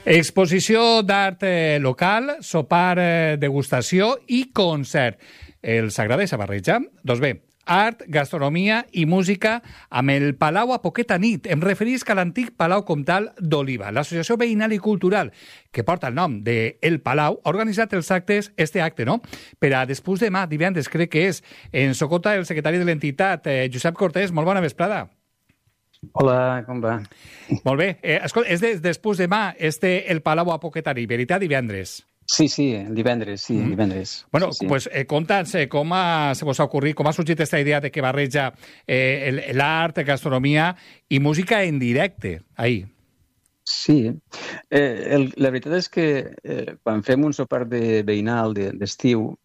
Exposició d'art local, sopar, degustació i concert. Els agradeix a barrejar? Doncs bé, art, gastronomia i música amb el Palau a poqueta nit. Em referisc a l'antic Palau Comtal d'Oliva. L'Associació Veïnal i Cultural, que porta el nom de El Palau, ha organitzat els actes, no? Per a després demà, divendres, crec que és, en Socota, el secretari de l'entitat, Josep Cortés. Molt bona vesprada. Hola, com va? Molt bé. Escolta, és després demà, El Palau a poqueta nit, veritat, divendres? Sí, divendres, divendres. Bueno, sí. Pues conta'ns com se vos ha ocorrit, com ha sorgit aquesta idea de que barreja l'art, gastronomia i música en directe, ahir. Sí, la veritat és que quan fem un sopar veïnal d'estiu,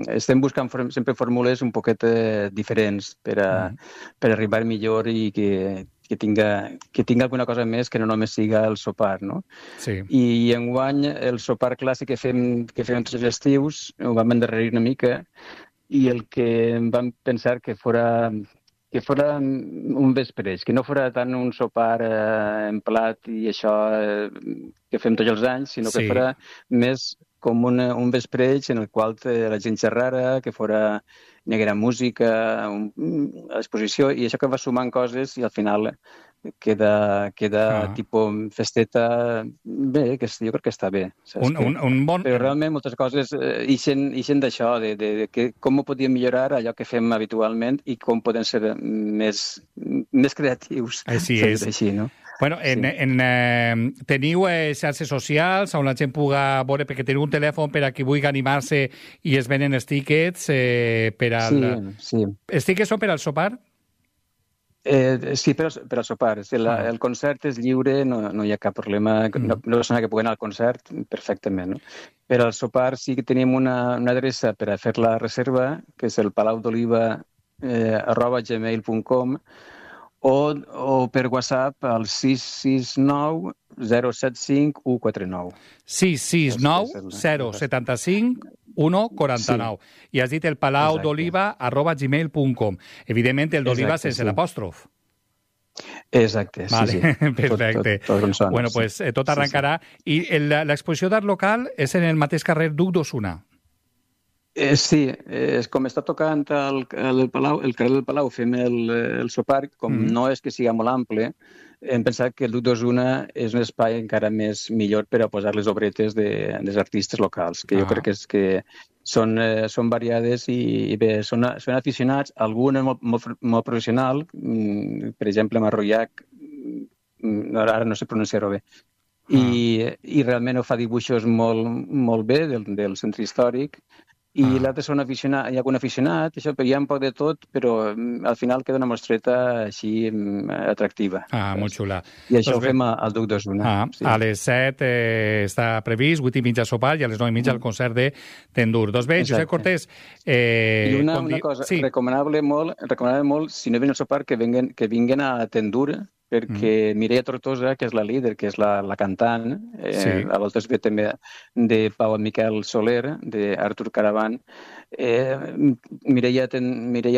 estem buscant sempre fórmules un poquet diferents per arribar millor i que tinga alguna cosa més que no només siga el sopar, no? Sí. I enguany el sopar clàssic que fem tots els estius ho vam endarrerir una mica i el que vam pensar que fora un vespreig, que no fora tant un sopar en plat i això que fem tots els anys, sinó que fora més com un vespreig en el qual la gent xerrara, que hi haguera música, exposició, i això que va sumant coses i al final queda tipus festeta bé, que jo crec que està bé. Però realment moltes coses ixen d'això, de com ho podíem millorar allò que fem habitualment i com podem ser més creatius. Així és. Així, no? Bueno, teniu xarxes socials on la gent puga veure, perquè teniu un telèfon per a qui vulgui animar-se i es venen els tíquets per al... Sí. Els tíquets són per al sopar? Sí, per al sopar. El concert és lliure, no hi ha cap problema. No persona que pugui anar al concert, perfectament. No? Per al sopar sí que tenim una adreça per a fer la reserva, que és el palaudoliva@gmail.com o per WhatsApp al 669 075 149. 669 075 149. Sí. I has dit el palaudoliva@gmail.com. Evidentment, el d'oliva sense l'apòstrof. Exacte, vale. Sí. Perfecte. Tot consonant, bueno, pues tot arrencarà. I l'exposició d'art local és en el mateix carrer Duc d'Osuna. Sí, com està tocant el carrer del Palau, fem el sopar, com no és que sigui molt ample, hem pensat que el Duc d'Osuna és un espai encara millor per a posar les obretes dels artistes locals, que jo crec que són variades i bé, són aficionats, alguna molt professional, per exemple, Marroiac, ara no sé pronunciar-ho bé, i realment ho fa dibuixos molt bé del centre històric, i l'altre hi ha algun aficionat, això, hi ha un poc de tot, però al final queda una mostreta així atractiva. Molt xula. I això ho fem al Duc d'Osuna. Sí. A les 7 està previst, 8:30 sopar i a les 9:30 el concert de Tendur. Doncs bé, Josep Cortés... I una cosa, recomanable molt, si no venen al sopar, que vinguen a Tendur, perquè Mireia Tortosa, que és la líder, que és la cantant, a voltes ve també de Pau Miquel Soler, d'Artur Caravan. Mireia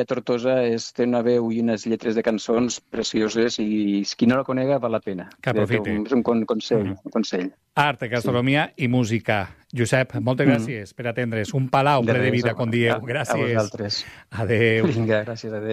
Tortosa té una veu i unes lletres de cançons precioses i qui no la conega val la pena. Que aprofite. És un consell. Art, gastronomia i música. Josep, moltes gràcies per atendre's. Un palau ple de vida, com dieu. Gràcies. A vosaltres. Adéu. Vinga, gràcies, adéu.